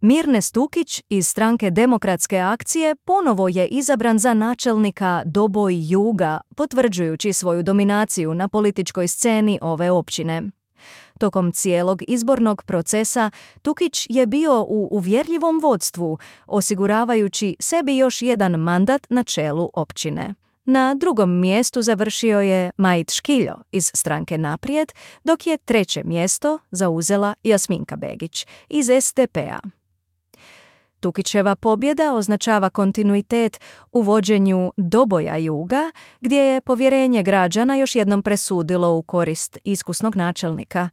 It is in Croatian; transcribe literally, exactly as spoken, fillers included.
Mirne Stukić iz stranke Demokratske akcije ponovo je izabran za načelnika Doboj Juga, potvrđujući svoju dominaciju na političkoj sceni ove općine. Tokom cijelog izbornog procesa Tukić je bio u uvjerljivom vodstvu, osiguravajući sebi još jedan mandat na čelu općine. Na drugom mjestu završio je Majit Škiljo iz stranke Naprijed, dok je treće mjesto zauzela Jasminka Begić iz es de pe-a. Tukićeva pobjeda označava kontinuitet u vođenju Doboja Juga, gdje je povjerenje građana još jednom presudilo u korist iskusnog načelnika.